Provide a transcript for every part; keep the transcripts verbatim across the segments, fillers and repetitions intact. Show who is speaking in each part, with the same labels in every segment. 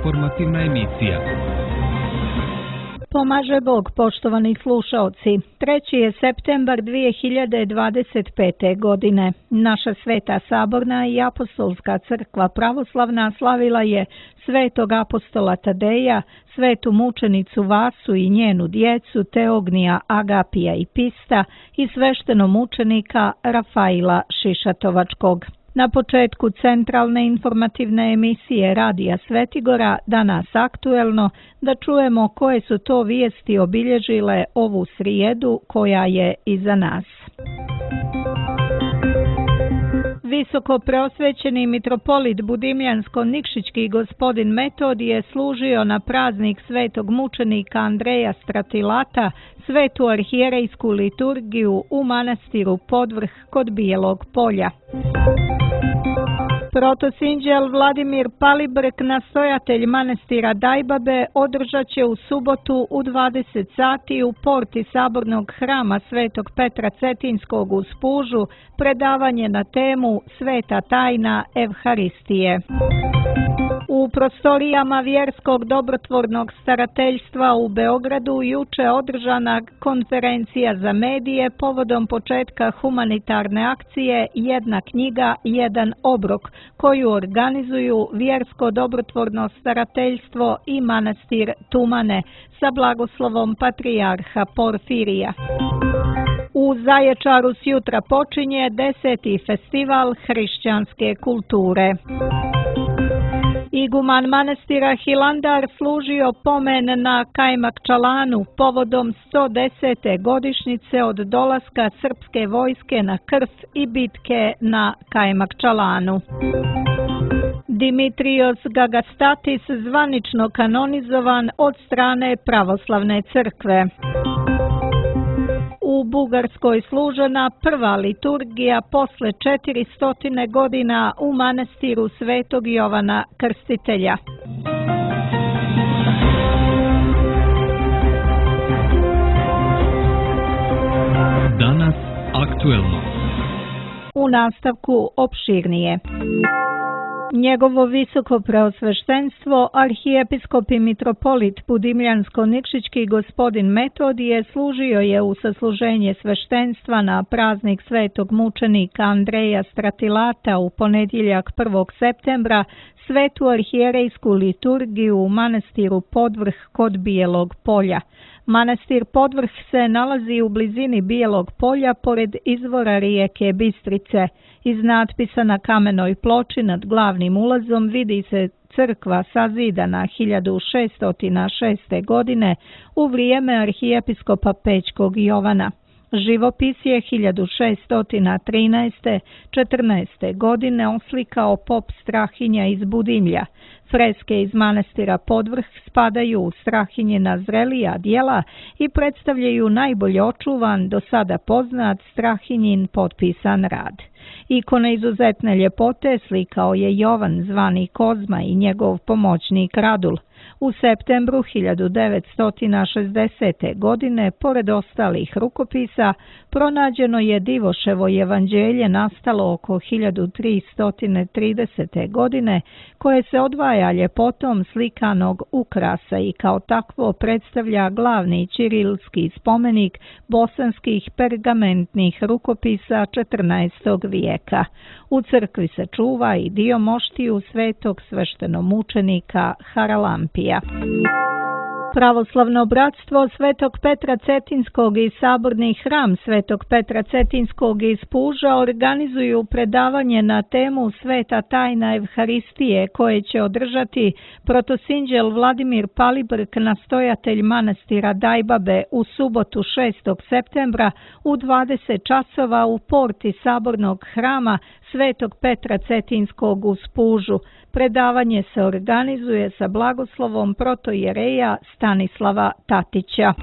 Speaker 1: informativna emisija.
Speaker 2: Pomaže Bog, poštovani slušaoci. treći je septembar dvije hiljade dvadeset pete. godine. Naša Sveta Saborna i Apostolska crkva pravoslavna slavila je svetog apostola Tadeja, svetu mučenicu Vasu i njenu djecu Teognija, Agapija i Pista i svešteno mučenika Rafaila Šišatovačkog. Na početku centralne informativne emisije Radija Svetigora, danas aktuelno, da čujemo koje su to vijesti obilježile ovu srijedu koja je iza nas. Visoko preosvećeni mitropolit Budimljansko-Nikšićki gospodin Metodije služio na praznik svetog mučenika Andreja Stratilata svetu arhijerejsku liturgiju u manastiru Podvrh kod Bijelog Polja. Protosinđel Vladimir Palibrk, nastojatelj manastira Dajbabe, održat će u subotu u dvadeset sati u porti sabornog hrama Svetog Petra Cetinskog u Spužu predavanje na temu Sveta tajna Evharistije. U prostorijama Vjerskog dobrotvornog starateljstva u Beogradu juče održana konferencija za medije povodom početka humanitarne akcije Jedna knjiga, jedan obrok, koju organizuju Vjersko dobrotvorno starateljstvo i manastir Tumane sa blagoslovom patrijarha Porfirija. U Zaječaru sjutra počinje deseti festival hrišćanske kulture. Iguman manastira Hilandar služio pomen na Kajmakčalanu povodom sto desete godišnjice od dolaska srpske vojske na Krf i bitke na Kajmakčalanu. Dimitrios Gagastatis zvanično kanonizovan od strane pravoslavne crkve. U Bugarskoj služena prva liturgija posle četiristo godina u manastiru Svetog Jovana Krstitelja.
Speaker 1: Danas aktuelno.
Speaker 2: U nastavku opširnije. Njegovo visoko preosveštenstvo, arhijepiskop i mitropolit Budimljansko-Nikšićki gospodin Metodije služio je u sasluženje sveštenstva na praznik svetog mučenika Andreja Stratilata u ponedjeljak prvog septembra svetu arhijerejsku liturgiju u manastiru Podvrh kod Bijelog Polja. Manastir Podvrh se nalazi u blizini Bijelog Polja pored izvora rijeke Bistrice. Iz natpisa na kamenoj ploči nad glavnim ulazom vidi se crkva sazidana hiljadu šeststo šeste. godine u vrijeme arhijepiskopa Pećkog Jovana. Živopis je hiljadu šeststo trinaeste. četrnaeste. godine oslikao pop Strahinja iz Budimlja. Freske iz manastira Podvrh spadaju u Strahinjina zrelija djela i predstavljaju najbolje očuvan, do sada poznat Strahinjin potpisan rad. Ikone izuzetne ljepote slikao je Jovan zvani Kozma i njegov pomoćnik Radul. U septembru hiljadu devetsto šezdesete. godine, pored ostalih rukopisa, pronađeno je Divoševo evanđelje nastalo oko hiljadu tristo tridesete. godine, koje se odvaja ljepotom slikanog ukrasa i kao takvo predstavlja glavni ćirilski spomenik bosanskih pergamentnih rukopisa četrnaestog. vijeka. U crkvi se čuva i dio moštiju svetog sveštenomučenika Haralampija. Pravoslavno bratstvo Svetog Petra Cetinskog i saborni hram Svetog Petra Cetinskog iz Puža organizuju predavanje na temu Sveta tajna Evharistije koje će održati protosinđel Vladimir Palibrk, nastojatelj manastira Dajbabe, u subotu šestog septembra u dvadeset časova u porti sabornog hrama Svetog Petra Cetinskog u Spužu. Predavanje se organizuje sa blagoslovom protojereja Stanislava Tatića.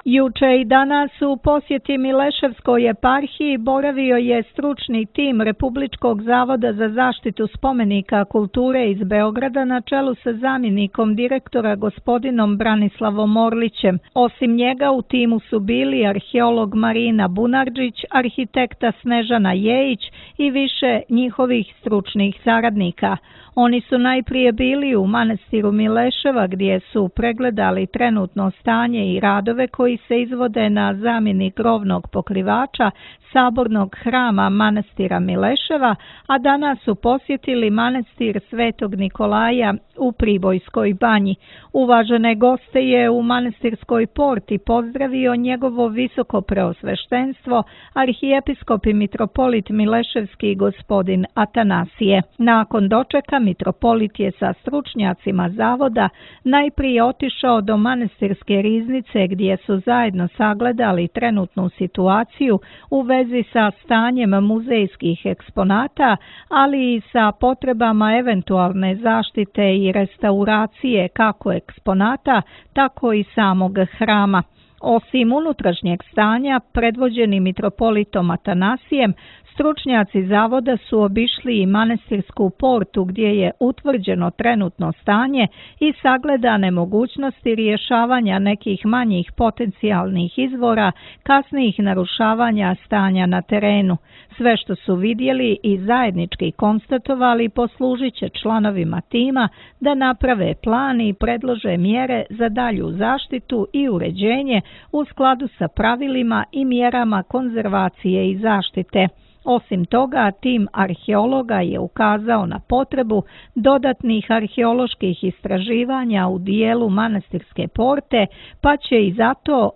Speaker 2: Juče i danas u posjeti Mileševskoj eparhiji boravio je stručni tim Republičkog zavoda za zaštitu spomenika kulture iz Beograda na čelu sa zamjenikom direktora gospodinom Branislavom Orlićem. Osim njega u timu su bili arheolog Marina Bunarđić, arhitekta Snežana Jejić i više njihovih stručnih saradnika. Oni su najprije bili u manastiru Mileševa gdje su pregledali trenutno stanje i radove koji se izvode na zamjeni krovnog pokrivača sabornog hrama manastira Mileševa, a danas su posjetili manastir Svetog Nikolaja u Pribojskoj banji. Uvažene goste je u manastirskoj porti pozdravio njegovo visoko preosveštenstvo, arhijepiskop i mitropolit Mileševski gospodin Atanasije. Nakon dočeka mitropolit je sa stručnjacima zavoda najprije otišao do manastirske riznice gdje su zajedno sagledali trenutnu situaciju u vezi sa stanjem muzejskih eksponata, ali i sa potrebama eventualne zaštite i restauracije kako eksponata, tako i samog hrama. Osim unutrašnjeg stanja, predvođeni mitropolitom Atanasijem, stručnjaci zavoda su obišli i manastirsku portu gdje je utvrđeno trenutno stanje i sagledane mogućnosti rješavanja nekih manjih potencijalnih izvora kasnijih narušavanja stanja na terenu. Sve što su vidjeli i zajednički konstatovali poslužit će članovima tima da naprave plan i predlože mjere za dalju zaštitu i uređenje u skladu sa pravilima i mjerama konzervacije i zaštite. Osim toga, tim arheologa je ukazao na potrebu dodatnih arheoloških istraživanja u dijelu manastirske porte, pa će i zato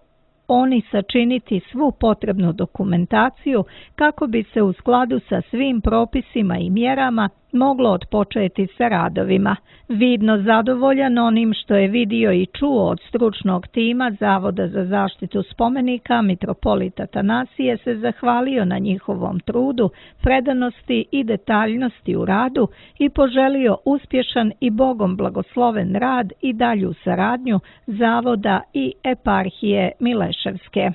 Speaker 2: oni sačiniti svu potrebnu dokumentaciju kako bi se u skladu sa svim propisima i mjerama moglo otpočeti sa radovima. Vidno zadovoljan onim što je vidio i čuo od stručnog tima Zavoda za zaštitu spomenika, mitropolit Atanasije se zahvalio na njihovom trudu, predanosti i detaljnosti u radu i poželio uspješan i Bogom blagosloven rad i dalju saradnju Zavoda i eparhije Mileševske.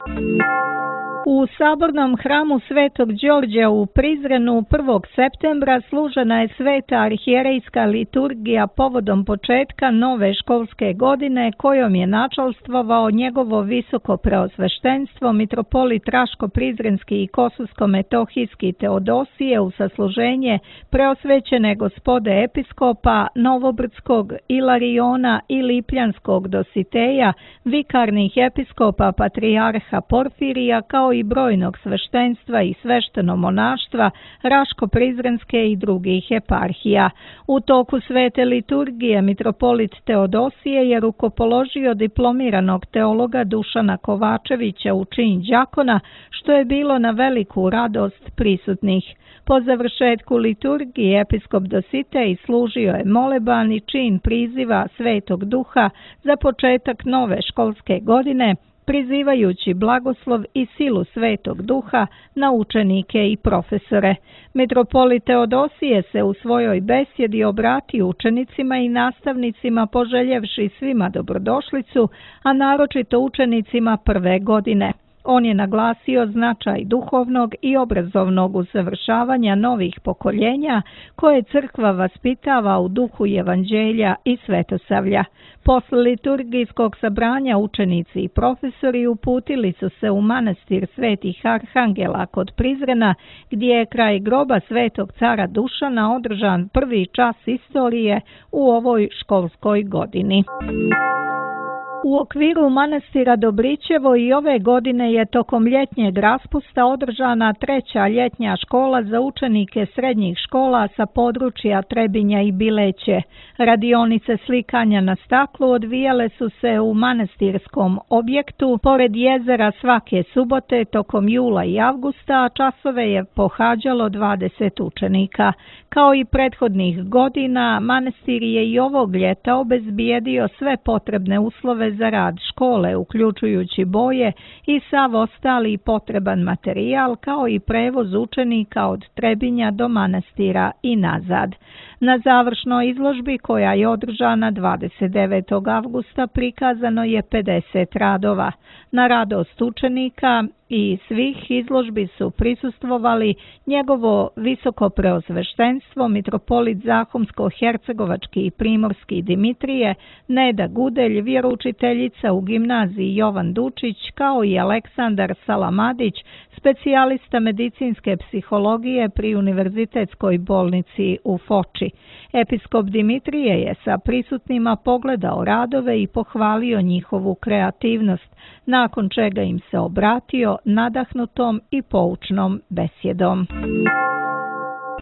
Speaker 2: U sabornom hramu Svetog Đorđa u Prizrenu prvog septembra služena je sveta arhijerejska liturgija povodom početka nove školske godine kojom je načalstvovao njegovo visoko preosveštenstvo mitropolit Raško-Prizrenski i Kosulsko-Metohijski Teodosije u sasluženje preosvećene gospode episkopa Novobrdskog, Ilariona i Lipljanskog Dositeja, vikarnih episkopa patrijarha Porfirija kao i brojnog sveštenstva i svešteno-monaštva Raško-Prizrenske i drugih eparhija. U toku svete liturgije mitropolit Teodosije je rukopoložio diplomiranog teologa Dušana Kovačevića u čin đakona, što je bilo na veliku radost prisutnih. Po završetku liturgije episkop Dositej služio je moleban i čin priziva Svetog Duha za početak nove školske godine, prizivajući blagoslov i silu Svetog Duha na učenike i profesore. Mitropolit Teodosije se u svojoj besjedi obratio učenicima i nastavnicima poželjevši svima dobrodošlicu, a naročito učenicima prve godine. On je naglasio značaj duhovnog i obrazovnog usavršavanja novih pokoljenja koje crkva vaspitava u duhu evanđelja i svetosavlja. Posle liturgijskog sabranja učenici i profesori uputili su se u manastir Svetih Arhangela kod Prizrena, gdje je kraj groba Svetog cara Dušana održan prvi čas istorije u ovoj školskoj godini. U okviru manastira Dobrićevo i ove godine je tokom ljetnjeg raspusta održana treća ljetnja škola za učenike srednjih škola sa područja Trebinja i Bileće. Radionice slikanja na staklu odvijale su se u manastirskom objektu pored jezera svake subote tokom jula i avgusta, a časove je pohađalo dvadeset učenika. Kao i prethodnih godina, manastir je i ovog ljeta obezbijedio sve potrebne uslove dozvole za rad škole, uključujući boje i sav ostali potreban materijal, kao i prevoz učenika od Trebinja do manastira i nazad. Na završnoj izložbi, koja je održana dvadeset devetog avgusta, prikazano je pedeset radova. Na radost učenika i svih izložbi su prisustvovali njegovo visokopreosveštenstvo, mitropolit Zahumsko-hercegovački i primorski Dimitrije, Neda Gudelj, vjeroučiteljica u gimnaziji Jovan Dučić, kao i Aleksandar Salamadić, specijalista medicinske psihologije pri Univerzitetskoj bolnici u Foči. Episkop Dimitrije je sa prisutnima pogledao radove i pohvalio njihovu kreativnost, nakon čega im se obratio nadahnutom i poučnom besjedom.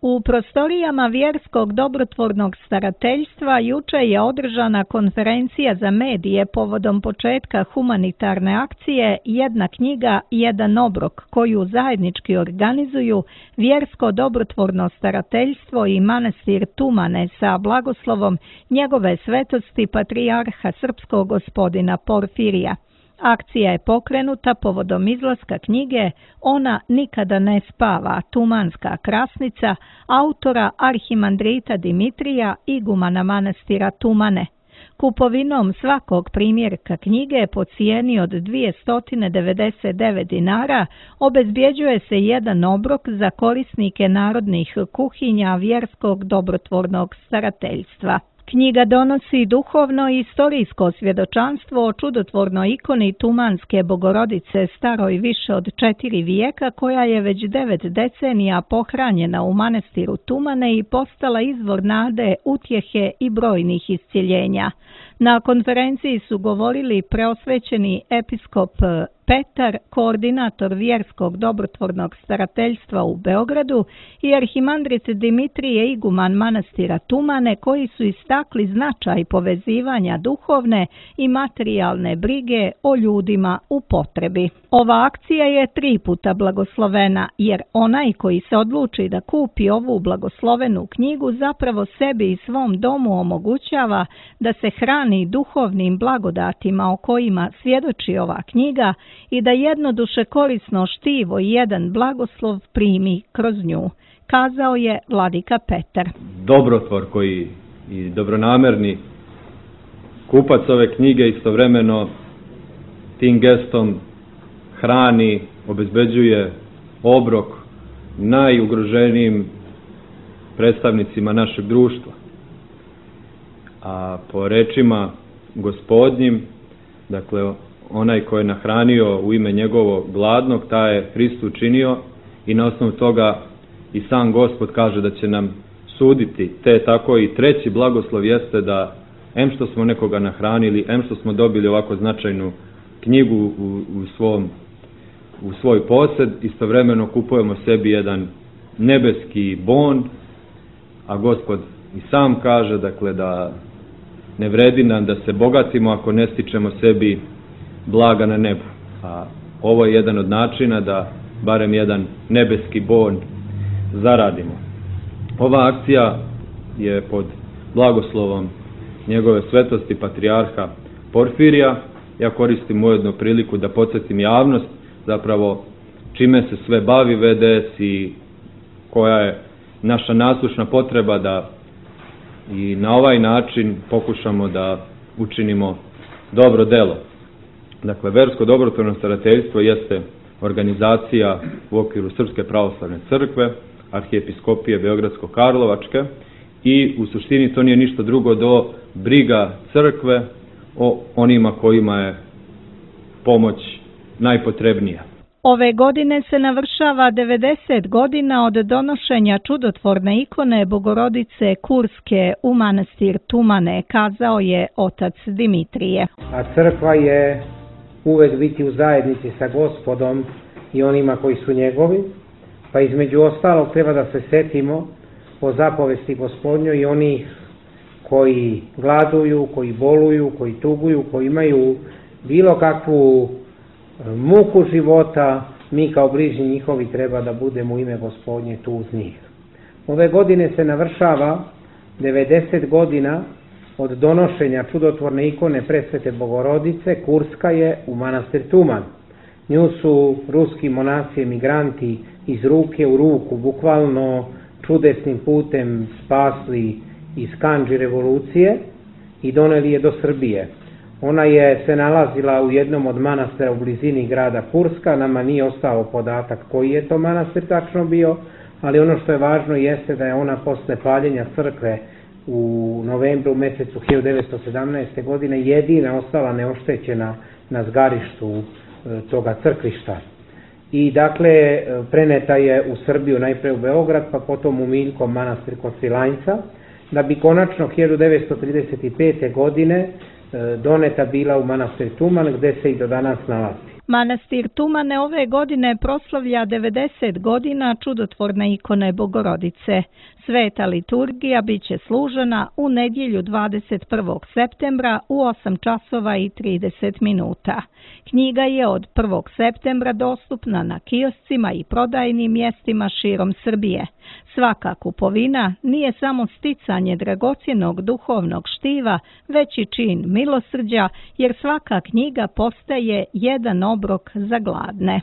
Speaker 2: U prostorijama Vjerskog dobrotvornog starateljstva juče je održana konferencija za medije povodom početka humanitarne akcije Jedna knjiga, jedan obrok, koju zajednički organizuju Vjersko dobrotvorno starateljstvo i manastir Tumane sa blagoslovom njegove svetosti patrijarha srpskog gospodina Porfirija. Akcija je pokrenuta povodom izlaska knjige Ona nikada ne spava, Tumanska krasnica, autora arhimandrita Dimitrija, igumana manastira Tumane. Kupovinom svakog primjerka knjige po cijeni od dvjesto devedeset devet dinara obezbjeđuje se jedan obrok za korisnike narodnih kuhinja Vjerskog dobrotvornog starateljstva. Knjiga donosi duhovno i istorijsko svjedočanstvo o čudotvornoj ikoni Tumanske Bogorodice staroj više od četiri vijeka, koja je već devet decenija pohranjena u manastiru Tumane i postala izvor nade, utjehe i brojnih iscjeljenja. Na konferenciji su govorili preosvećeni episkop Petar, koordinator Vjerskog dobrotvornog starateljstva u Beogradu, i arhimandrit Dimitrije, iguman manastira Tumane, koji su istakli značaj povezivanja duhovne i materijalne brige o ljudima u potrebi. Ova akcija je tri puta blagoslovena, jer onaj koji se odluči da kupi ovu blagoslovenu knjigu zapravo sebi i svom domu omogućava da se hrani duhovnim blagodatima o kojima svjedoči ova knjiga i da jednoduše korisno štivo i jedan blagoslov primi kroz nju, kazao je vladika Petar.
Speaker 3: Dobrotvor koji i dobronamerni kupac ove knjige istovremeno tim gestom hrani, obezbeđuje obrok najugroženijim predstavnicima našeg društva. A po rečima Gospodnjim, dakle, onaj ko je nahranio u ime njegovo gladnog, taj je Hristu učinio, i na osnovu toga i sam Gospod kaže da će nam suditi. Te tako i treći blagoslov jeste da em što smo nekoga nahranili, em što smo dobili ovako značajnu knjigu u, u, svom, u svoj posjed, istovremeno kupujemo sebi jedan nebeski bon, a Gospod i sam kaže, dakle, da ne vredi nam da se bogatimo ako ne stičemo sebi blaga na nebu. A ovo je jedan od načina da barem jedan nebeski bon zaradimo. Ova akcija je pod blagoslovom njegove svetosti patrijarha Porfirija. Ja koristim ujedno priliku da podsjetim javnost zapravo čime se sve bavi V D S i koja je naša nasušna potreba da i na ovaj način pokušamo da učinimo dobro delo. Dakle, Versko dobrotvorno starateljstvo jeste organizacija u okviru Srpske pravoslavne crkve, Arhijepiskopije Beogradsko-Karlovačke, i u suštini to nije ništa drugo do briga crkve o onima kojima je pomoć najpotrebnija.
Speaker 2: Ove godine se navršava devedeset godina od donošenja čudotvorne ikone Bogorodice Kurske u manastir Tumane, kazao je otac Dimitrije.
Speaker 4: A crkva je uvek biti u zajednici sa Gospodom i onima koji su njegovi, pa između ostalog treba da se setimo po zapovesti Gospodnjoj i onih koji gladuju, koji boluju, koji tuguju, koji imaju bilo kakvu muku života. Mi kao bližnji njihovi treba da budemo u ime Gospodnje tu uz njih. Ove godine se navršava devedeset godina od donošenja čudotvorne ikone Presvete Bogorodice, Kurska je u manastir Tuman. Nju su ruski monasi emigranti iz ruke u ruku, bukvalno čudesnim putem spasli iz kandži revolucije i doneli je do Srbije. Ona je se nalazila u jednom od manastira u blizini grada Kurska, nama nije ostao podatak koji je to manastir tačno bio, ali ono što je važno jeste da je ona posle paljenja crkve u novembru mesecu hiljadu devetsto sedamnaeste. godine jedina ostala neoštećena na zgarištu toga crkvišta. I dakle, preneta je u Srbiju, najpre u Beograd, pa potom u Miljkom manastir kod Svilajnca, da bi konačno hiljadu devetsto trideset pete. godine doneta bila u manastir Tuman, gde se i do danas nalazi.
Speaker 2: Manastir Tumane ove godine proslavlja devedeset godina čudotvorne ikone Bogorodice. Sveta liturgija biće služena u nedjelju dvadeset prvog septembra u osam časova i trideset minuta. Knjiga je od prvog septembra dostupna na kioscima i prodajnim mjestima širom Srbije. Svaka kupovina nije samo sticanje dragocjenog duhovnog štiva, već i čin milosrđa, jer svaka knjiga postaje jedan obrok za gladne.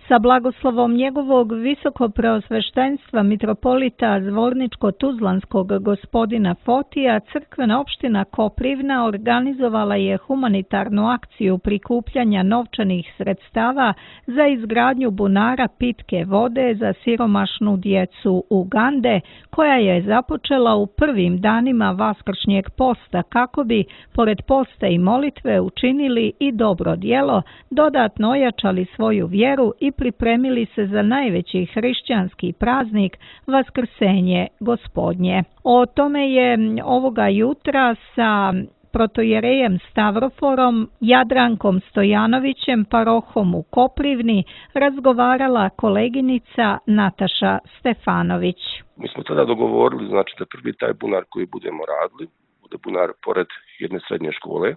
Speaker 2: Sa blagoslovom njegovog visokopreosveštenstva mitropolita Zvorničko-Tuzlanskog gospodina Fotija, crkvena opština Koprivna organizovala je humanitarnu akciju prikupljanja novčanih sredstava za izgradnju bunara pitke vode za siromašnu djecu Ugande, koja je započela u prvim danima vaskršnjeg posta kako bi, pored posta i molitve, učinili i dobro djelo, dodatno ojačali svoju vjeru i pripremili se za najveći hrišćanski praznik Vaskrsenje Gospodnje. O tome je ovoga jutra sa protojerejem Stavroforom, Jadrankom Stojanovićem, parohom u Koprivni, razgovarala koleginica Nataša Stefanović.
Speaker 5: Mi smo tada dogovorili, znači da prvi taj bunar koji budemo radili, bude bunar pored jedne srednje škole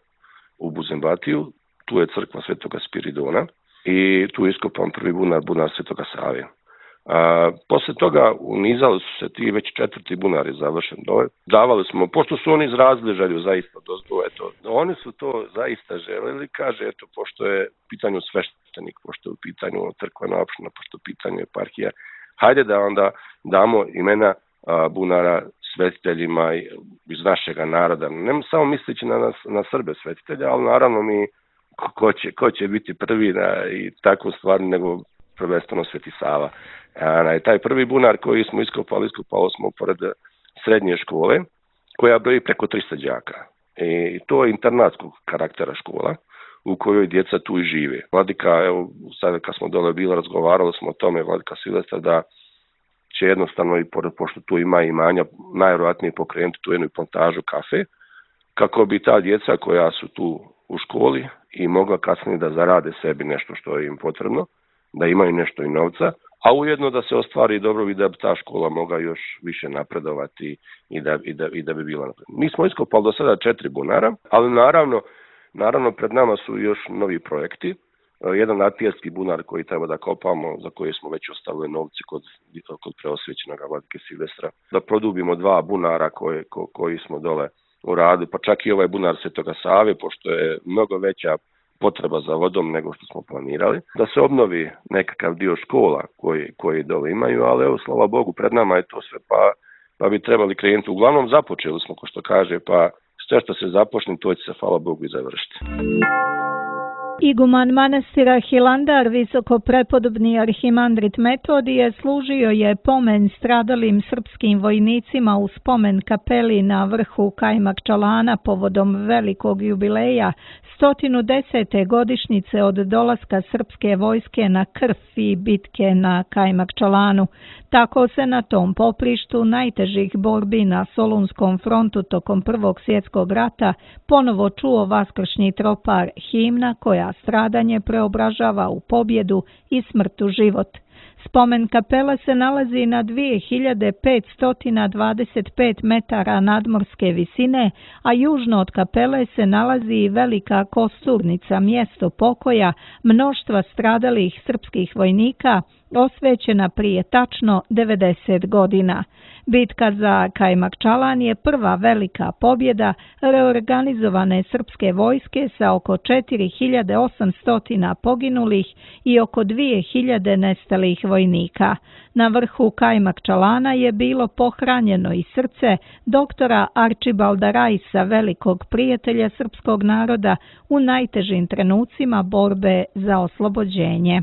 Speaker 5: u Buzembatiju, tu je crkva Svetoga Spiridona, i tu je iskopan prvi bunar, bunar Svetoga Save. A, posle toga unizali su se ti već četvrti bunar je završen dole. Davali smo, pošto su oni izrazili želju zaista dozgo, eto, oni su to zaista želeli, kaže, eto, pošto je u pitanju sveštenik, pošto je u pitanju crkvena opština, pošto je u pitanju eparhija, hajde da onda damo imena a, bunara svetiteljima iz našega naroda. Ne samo misleći na, nas, na Srbe svetitelja, ali naravno mi Ko će, ko će biti prvi na, i takvu stvar nego prvenstveno Sveti Sava. A, taj prvi bunar koji smo iskopali, iskopali smo pored srednje škole, koja broji preko trista đaka. I to je internatskog karaktera škola, u kojoj djeca tu i žive. Vladika, evo, sad kad smo dole bili, razgovarali smo o tome, Vladika Silvestar, da će jednostavno, i pored, pošto tu ima imanja, najvjerojatnije pokrenuti tu jednu plantažu kafe, kako bi ta djeca koja su tu u školi i mogla kasnije da zarade sebi nešto što je im potrebno, da imaju nešto i novca, a ujedno da se ostvari dobro i da bi ta škola mogla još više napredovati i da, i da, i da bi bila napredovati. Mi smo iskopali do sada četiri bunara, ali naravno, naravno pred nama su još novi projekti. Jedan atijerski bunar koji treba da kopamo, za koji smo već ostavili novci kod, kod preosvećenog Vladike Silvestra, da produbimo dva bunara koje, ko, koji smo dole u radu, pa čak i ovaj bunar Svetoga Save, pošto je mnogo veća potreba za vodom nego što smo planirali, da se obnovi nekakav dio škola koji, koji dole imaju, ali evo, slava Bogu, pred nama je to sve, pa, pa bi trebali krenuti. Uglavnom započeli smo, ko što kaže, pa sve što se započne, to će se, hvala Bogu, i završiti.
Speaker 2: Iguman manastira Hilandar, visoko prepodobni arhimandrit Metodije, služio je pomen stradalim srpskim vojnicima u spomen kapeli na vrhu Kajmakčalana povodom velikog jubileja sto desete godišnjice od dolaska srpske vojske na Krf i bitke na Kajmakčalanu. Tako se na tom poprištu najtežih borbi na Solunskom frontu tokom Prvog svjetskog rata ponovo čuo vaskršnji tropar, himna koja stradanje preobražava u pobjedu i smrt u život. Spomen kapela se nalazi na dvije hiljade petsto dvadeset pet metara nadmorske visine, a južno od kapele se nalazi i velika kosturnica, mjesto pokoja mnoštva stradalih srpskih vojnika osvećena prije tačno devedeset godina. Bitka za Kajmakčalan je prva velika pobjeda reorganizovane srpske vojske sa oko četiri hiljade osamsto poginulih i oko dvije hiljade nestalih vojnika. Na vrhu Kajmakčalana je bilo pohranjeno i srce doktora Arčibalda Rajsa, velikog prijatelja srpskog naroda u najtežim trenucima borbe za oslobođenje.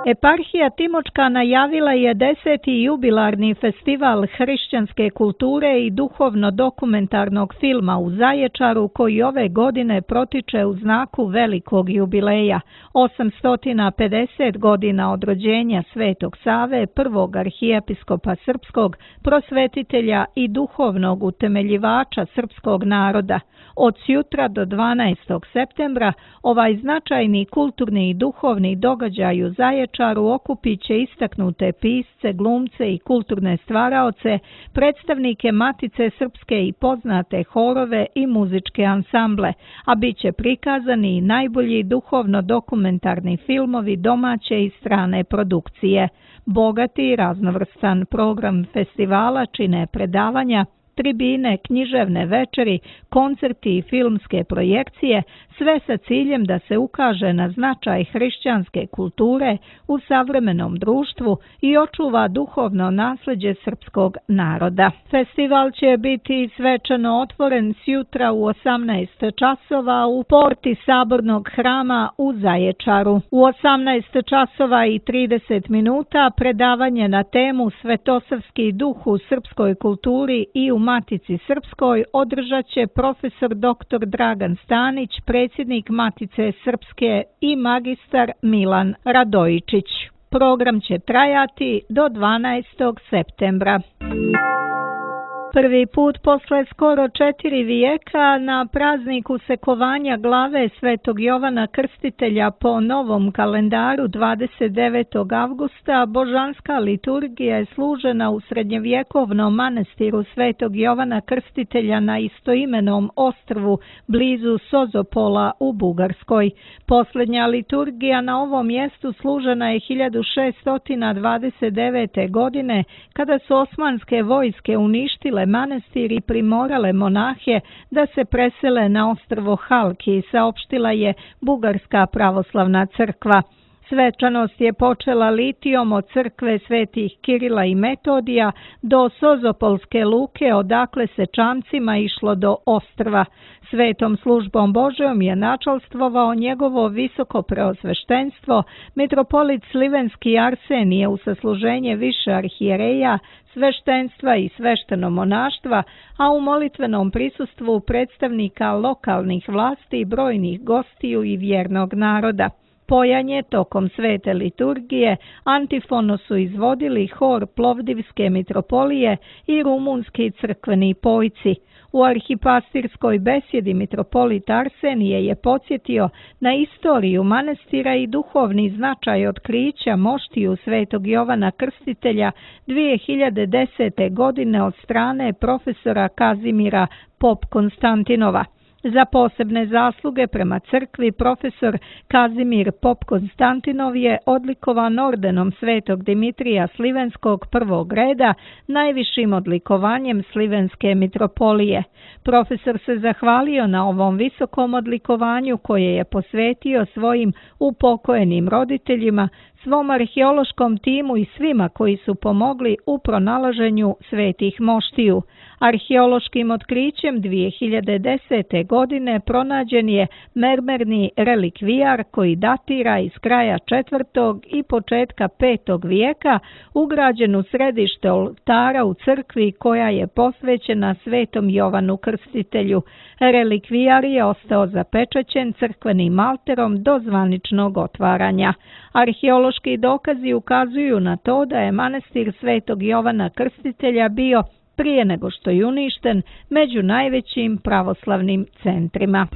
Speaker 2: Eparhija Timočka najavila je deseti jubilarni festival hrišćanske kulture i duhovno-dokumentarnog filma u Zaječaru, koji ove godine protiče u znaku velikog jubileja, osamsto pedeset godina od rođenja Svetog Save, prvog arhijepiskopa srpskog, prosvetitelja i duhovnog utemeljivača srpskog naroda. Od sutra do dvanaestog septembra ovaj značajni kulturni i duhovni događaj u Zaječaru okupit će istaknute pisce, glumce i kulturne stvaraoce, predstavnike Matice Srpske i poznate horove i muzičke ansamble, a bit će prikazani i najbolji duhovno-dokumentarni filmovi domaće i strane produkcije. Bogati i raznovrstan program festivala čine predavanja, tribine, književne večeri, koncerti i filmske projekcije, sve sa ciljem da se ukaže na značaj hrišćanske kulture u savremenom društvu i očuva duhovno nasleđe srpskog naroda. Festival će biti svečano otvoren sjutra u osamnaest časova u porti Sabornog hrama u Zaječaru. U osamnaest časova i trideset minuta predavanje na temu Svetosavski duh u srpskoj kulturi i u Matici Srpskoj održat će profesor doktor Dragan Stanić, predsjednik Matice Srpske, i magistar Milan Radojičić. Program će trajati do dvanaestog septembra. Prvi put posle skoro četiri vijeka na prazniku sekovanja glave Svetog Jovana Krstitelja po novom kalendaru dvadeset devetog avgusta božanska liturgija je služena u srednjevjekovnom manastiru Svetog Jovana Krstitelja na istoimenom ostrvu blizu Sozopola u Bugarskoj. Posljednja liturgija na ovom mjestu služena je hiljadu šeststo dvadeset devete. godine kada su osmanske vojske uništile manastir i primorale monahe da se presele na ostrvo Halki, saopštila je Bugarska pravoslavna crkva. Svečanost je počela litijom od crkve svetih Kirila i Metodija do Sozopolske luke, odakle se čamcima išlo do ostrva. Svetom službom Božjom je načalstvovao njegovo visoko preosveštenstvo, mitropolit Slivenski Arsenije u sasluženje više arhijereja, sveštenstva i svešteno monaštva, a u molitvenom prisustvu predstavnika lokalnih vlasti i brojnih gostiju i vjernog naroda. Pojanje tokom svete liturgije antifono su izvodili hor Plovdivske mitropolije i rumunski crkveni pojci. U arhipastirskoj besjedi mitropolit Arsenije je podsjetio na istoriju manastira i duhovni značaj otkrića moštiju Svetog Jovana Krstitelja dvije hiljade desete. godine od strane profesora Kazimira Pop-Konstantinova. Za posebne zasluge prema crkvi profesor Kazimir Pop-Konstantinov je odlikovan ordenom Svetog Dimitrija Slivenskog prvog reda, najvišim odlikovanjem Slivenske mitropolije. Profesor se zahvalio na ovom visokom odlikovanju koje je posvetio svojim upokojenim roditeljima, svom arheološkom timu i svima koji su pomogli u pronalaženju svetih moštiju. Arheološkim otkrićem dvije hiljade desete. godine pronađen je mermerni relikvijar koji datira iz kraja četvrtog i početka petog vijeka, ugrađen u središte oltara u crkvi koja je posvećena Svetom Jovanu Krstitelju. Relikvijar je ostao zapečaćen crkvenim malterom do zvaničnog otvaranja. Arheološki dokazi ukazuju na to da je manastir Svetog Jovana Krstitelja bio, prije nego što je uništen, među najvećim pravoslavnim centrima.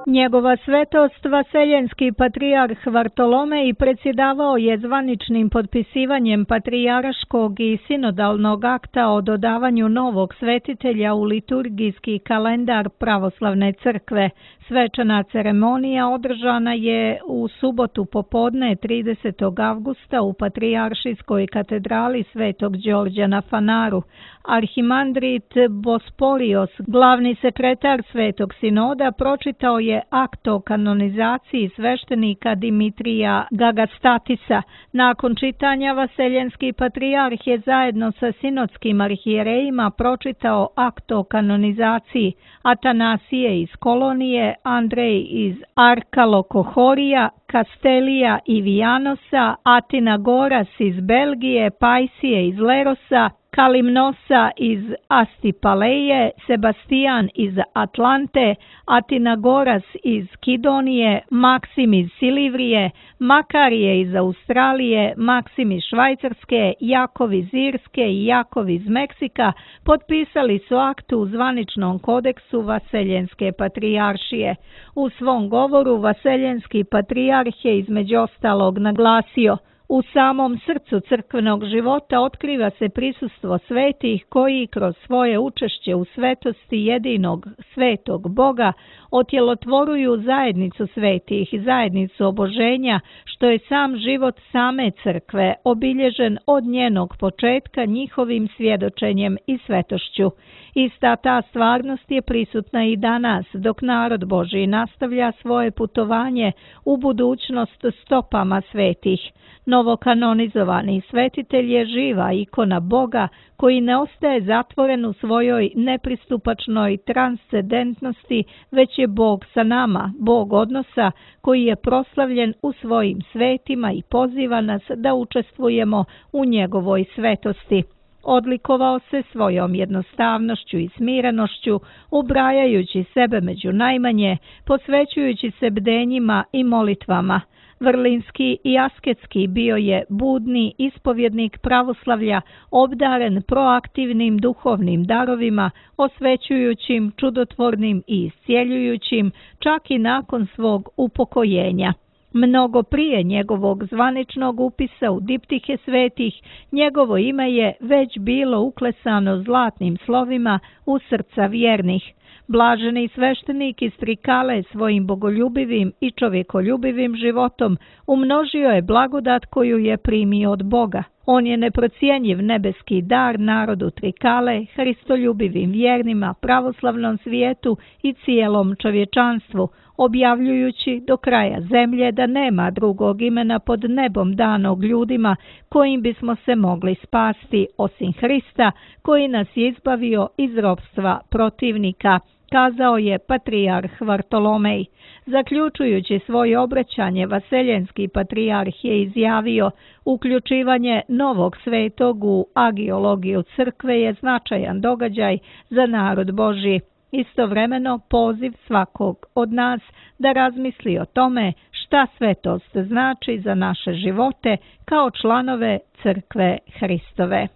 Speaker 2: Njegova svetost vaseljenski patrijarh Vartolomej predsjedavao je zvaničnim potpisivanjem patrijaraškog i sinodalnog akta o dodavanju novog svetitelja u liturgijski kalendar pravoslavne crkve. Svečana ceremonija održana je u subotu popodne tridesetog avgusta u Patrijaršijskoj katedrali Svetog Đorđa na Fanaru. Arhimandrit Bosporios, glavni sekretar Svetog sinoda, pročitao je akt o kanonizaciji sveštenika Dimitrija Gagastatisa. Nakon čitanja vaseljenski patrijarh je zajedno sa sinodskim arhijerejima pročitao akt o kanonizaciji. Atanasije iz Kolonije, Andrej iz Arkalokohorija, Kastelija i Vijanosa, Atina Goras iz Belgije, Pajsije iz Lerosa, Kalimnosa iz Astipaleje, Sebastijan iz Atlante, Atinagoras iz Kidonije, Maksim iz Silivrije, Makarije iz Australije, Maksim iz Švajcarske, Jakov iz Irske i Jakov iz Meksika potpisali su akt u zvaničnom kodeksu Vaseljenske patrijaršije. U svom govoru Vaseljenski patrijarh je između ostalog naglasio: u samom srcu crkvenog života otkriva se prisustvo svetih koji kroz svoje učešće u svetosti jedinog svetog Boga otjelotvoruju zajednicu svetih i zajednicu oboženja, što je sam život same crkve, obilježen od njenog početka njihovim svjedočenjem i svetošću. Ista ta stvarnost je prisutna i danas, dok narod Božji nastavlja svoje putovanje u budućnost stopama svetih. Novokanonizovani svetitelj je živa ikona Boga koji ne ostaje zatvoren u svojoj nepristupačnoj transcendentnosti, već je Bog sa nama, Bog odnosa koji je proslavljen u svojim svetima i poziva nas da učestvujemo u njegovoj svetosti. Odlikovao se svojom jednostavnošću i smirenošću, ubrajajući sebe među najmanje, posvećujući se bdenjima i molitvama. Vrlinski i asketski bio je budni ispovjednik pravoslavlja, obdaren proaktivnim duhovnim darovima, osvećujućim, čudotvornim i iscijeljujućim, čak i nakon svog upokojenja. Mnogo prije njegovog zvaničnog upisa u diptihe svetih, njegovo ime je već bilo uklesano zlatnim slovima u srca vjernih. Blaženi sveštenik iz Trikale svojim bogoljubivim i čovjekoljubivim životom umnožio je blagodat koju je primio od Boga. On je neprocjenjiv nebeski dar narodu Trikale, hristoljubivim vjernima, pravoslavnom svijetu i cijelom čovječanstvu, objavljujući do kraja zemlje da nema drugog imena pod nebom danog ljudima kojim bismo se mogli spasti osim Hrista, koji nas je izbavio iz ropstva protivnika, kazao je patrijarh Vartolomej. Zaključujući svoje obraćanje, vaseljenski patrijarh je izjavio: uključivanje novog svetog u agiologiju crkve je značajan događaj za narod Božji. Istovremeno poziv svakog od nas da razmisli o tome šta svetost znači za naše živote kao članove crkve Hristove.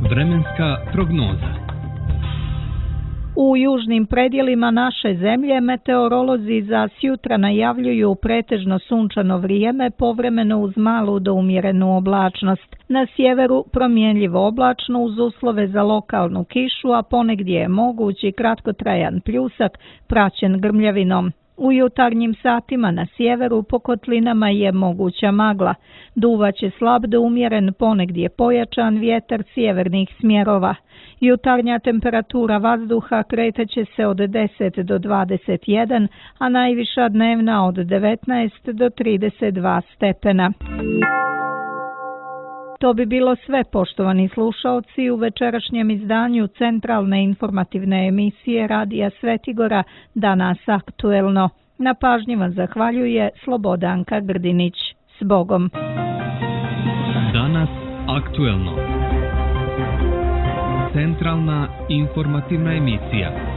Speaker 1: Vremenska prognoza.
Speaker 2: U južnim predjelima naše zemlje meteorolozi za sjutra najavljuju pretežno sunčano vrijeme, povremeno uz malu do umjerenu oblačnost. Na sjeveru promjenljivo oblačno uz uslove za lokalnu kišu, a ponegdje je mogući kratkotrajan pljusak praćen grmljavinom. U jutarnjim satima na sjeveru po kotlinama je moguća magla. Duvaće slab do umjeren, ponegdje pojačan vjetar sjevernih smjerova. Jutarnja temperatura vazduha kretaće se od deset do dvadeset jedan, a najviša dnevna od devetnaest do trideset dva stepena. To bi bilo sve, poštovani slušaoci, u večerašnjem izdanju centralne informativne emisije Radija Svetigora Danas aktuelno. Na pažnji vam zahvaljuje Slobodanka Grdinić. S Bogom.
Speaker 1: Danas aktuelno. Centralna informativna emisija.